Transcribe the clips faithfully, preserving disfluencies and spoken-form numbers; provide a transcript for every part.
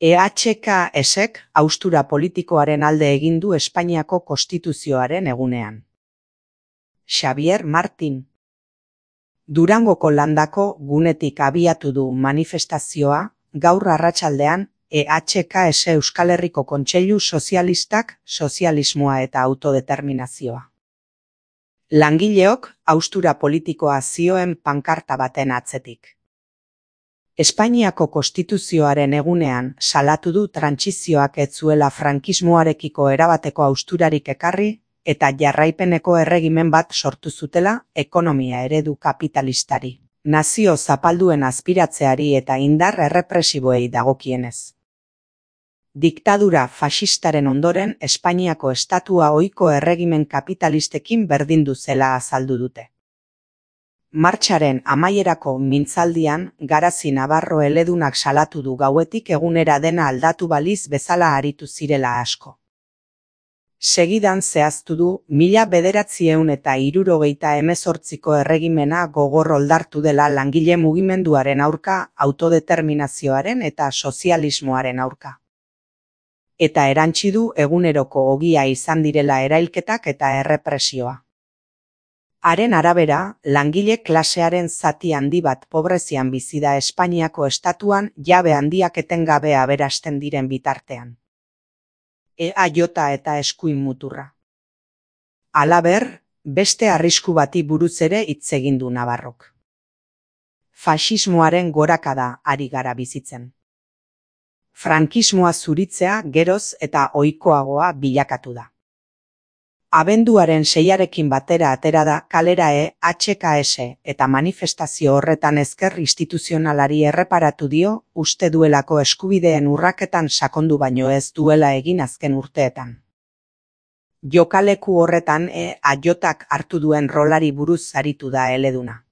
E H K S-ek haustura politikoaren alde egin du Espainiako Konstituzioaren egunean. Xabier Martin. Durangoko landako gunetik abiatu du manifestazioa, gaur arratsaldean, E H K S Euskal Herriko Kontseilu Sozialistak, sozialismoa eta autodeterminazioa. Langileok haustura politikoa zioen pankarta baten atzetik. Espainiako Konstituzioaren egunean salatu du trantsizioak ez zuela frankismoarekiko erabateko hausturarik ekarri eta jarraipeneko erregimen bat sortu zutela ekonomia eredu kapitalistari, nazio zapalduen aspiratzeari eta indar errepresiboei dagokienez. Diktadura faxistaren ondoren Espainiako estatua ohiko erregimen kapitalistekin berdindu zela azaldu dute. Martxaren amaierako mintzaldian, Garazi Navarro eledunak salatu du gauetik egunera dena aldatu baliz bezala aritu zirela asko. Segidan zehaztu du, mila bederatziehun eta hirurogeita hemezortziko erregimena gogor oldartu dela langile mugimenduaren aurka, autodeterminazioaren eta sozialismoaren aurka. Eta erantsi du eguneroko ogia izan direla erailketak eta errepresioa. Haren arabera, langile klasearen zati handi bat pobrezian bizi da Espainiako estatuan jabe handiak etengabe aberasten diren bitartean. Ea jota eta eskuin muturra. Halaber, beste arrisku bati buruz ere hitz egin du Navarrok. Faxismoaren gorakada ari gara bizitzen. Frankismoa zuritzea geroz eta ohikoagoa bilakatu da. Abenduaren seiarekin batera atera da kalera E H K S eta manifestazio horretan ezker instituzionalari erreparatu dio uste duelako eskubideen urraketan sakondu baino ez duela egin azken urteetan. Jokaleku horretan E H-ak hartu duen rolari buruz aritu da eleduna.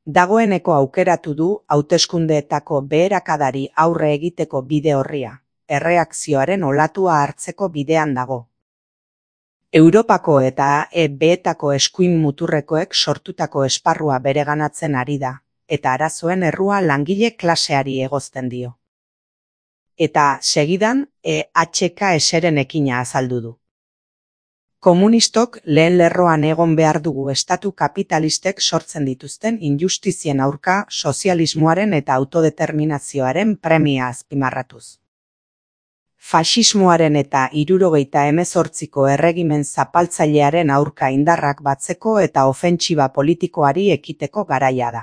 Dagoeneko aukeratu du hauteskundeetako beherakadari aurre egiteko bide orria, erreakzioaren olatua hartzeko bidean dago. Europako eta E B-etako eskuin muturrekoek sortutako esparrua bereganatzen ari da, eta arazoen errua langile klaseari egozten dio. Eta, segidan, E H K S-ren ekina azaldu du. Komunistok lehen lerroan egon behar dugu estatu kapitalistek sortzen dituzten injustizien aurka sozialismoaren eta autodeterminazioaren premia azpimarratuz. Faxismoaren eta hirurogeita hemezortziko erregimen zapaltzailearen aurka indarrak batzeko eta ofentsiba politikoari ekiteko garaia da.